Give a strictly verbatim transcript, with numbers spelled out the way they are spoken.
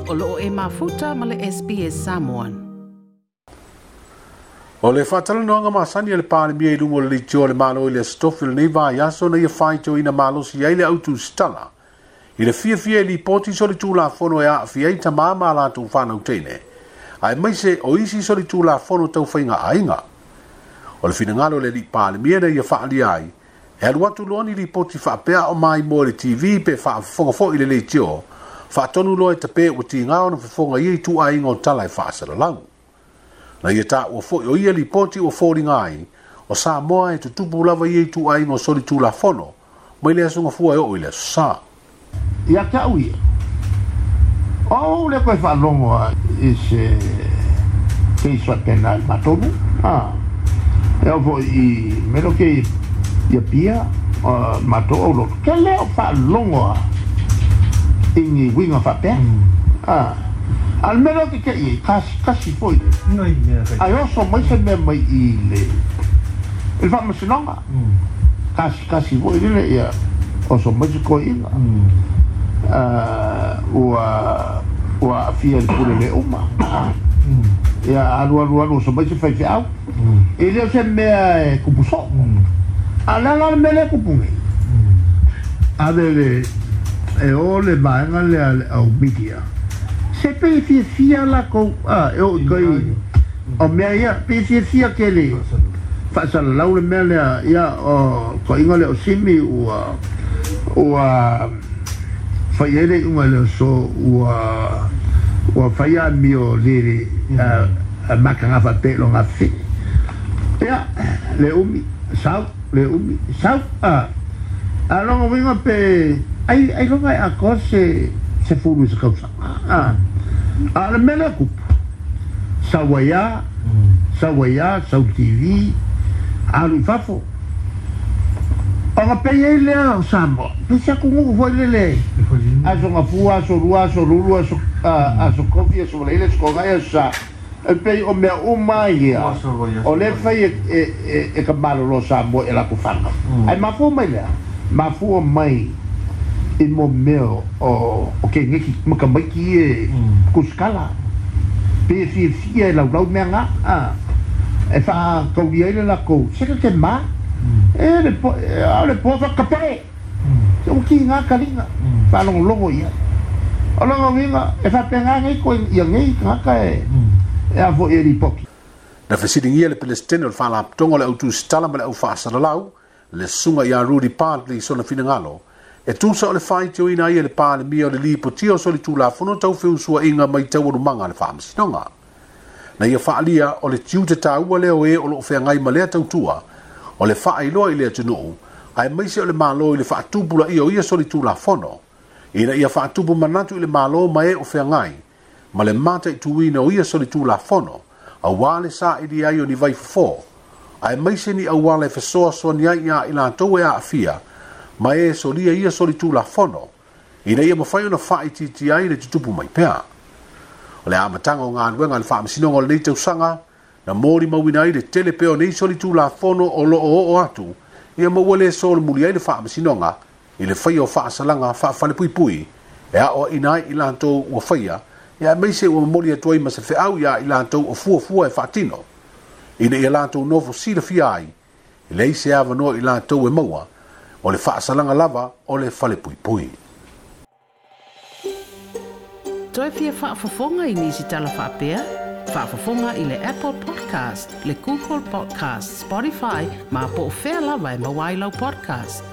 O loo e mafuta ma le S B S Samoan. O le whaatalanoanga masani a le Palemia i lunga o le leitio o le Malo i le Aso Tofi o lenei vaiaso na ia faitioina malosi ai le autusitala i le fiafia e lipoti solitulafono e aafia ai tamā ma latou fanau teine, aemaise o isi solitulafono taufaiga aiga. O le finagalo o le alii Palemia na ia faaalia ai, e alu atu loa ni lipoti faapea o mai mo le T V pe faafofoga foi i le leitio, faatonu loa e tape ua tiga ona fofoga ia i tuaiga o tala e faasalalau. Na ia taua foi o ia lipoti ua foliga ai, o Samoa e tutupu lava ia i tuaiga o solitulafono, mai le aso Gafua e oo i le aso Sa. Ia te au ia. O le koe faalogo a i se case faapena i le matou. Ah. E oo foi i mea ke ia pia matou au loto. Ke le o faalogo a i ni uiga faapea. Ah. A le mea lea o te te i ai, kasi, kasi foi. Ai oso mai se mea mai i le i le faamasinoga. Kasi, kasi foi lele ia oso mai se koiga. Ua ua aafia i le pule le uma. Ia alu alu alu oso mai se faifeau. E le o se mea e kupu soo. A le ala le mea lea e kupu nei. Ave le e o le vaega lea le au media. Se pe fiafia lakou a e oo i kai o mea ia pe fiafia ke le faasalalau le mea lea ia o koiga le o Simi ua ua fai ai le iuga i le aso ua ua fai amio le le mataga faapea i loga fefine. Ia le umi sau le umi sau a a loga uiga pe ai ai loga e atoa se se fulu i se tausaga. A a le mea lea kupu sau ai a sau ai a sau T V alu i fafo. Ona pei ai lea o Samoa, pe se atunuu foi lele aso Gafua, aso Lua, aso Lulu, aso aso Kofi, aso Valeile, aso Kogai, aso Sa. E pei o mea uma ia o le fai e e e ka malolo Samoa e latou fanau. Ae mafua mai lea, mafua mai i mo mea o o ke ngeki makamaiki e kuskala. Pe fiafia e laulau mea ngā. A e whaakauria ai le lakou se ke ma. E le po e le po whakapae. Se o ki ngā kalinga. Whaalongolongo ia. O longa winga e whapenga ngei ko ia ngei ngaka e e a fo e ripoki. Na fesilingia le Pelestene o le Faalapotopotoga o le Autusitala ma le Au Faasalalau, le susuga ia Rudy Bartley i sona finagalo, e tusa o le faitioina ai e le Palemia o le lipotia o solitulafono taufeusuaiga mai taualumaga a le faamasinoga. Na ia faalia o le tiute taua lea o e o loo feagai ma lea tautua, o le faailoa i le atunuu, aemaise o le Malo i le faatupulaia o ia solitulafono, ina ia faatupu manatu i le Malo ma e o feagai, ma le mataituina o ia solitulafono, auā le saili ai o ni vaifofo, aemaise ni auala e fesoasoani ai ia i latou e aafia, ma e solia ia solitulafono, ina ia mafai ona faaitiitia ai le tutupu mai pea. O le amataga o galuega a le faamasinoga o lenei tausaga, na molimauina ai le tele pea o nei solitulafono o loo oo atu, ia ma ua le solemuli ai le faamasinoga i le faia o faasalaga faafalepuipui, e aoaina ai i latou ua faia, ia aemaise ua momoli atu ai ma se feau ia i latou o fuafua e faatino, ina ia latou nofo silafia ai, e leai se avanoa i latou e maua, o le faasalaga lava o le falepuipui. Toe fia faafofoga i nisi tala faapea? Faafofoga i le Apple Podcast, le Google Podcast, Spotify, ma po o fea lava e maua ai lau podcast.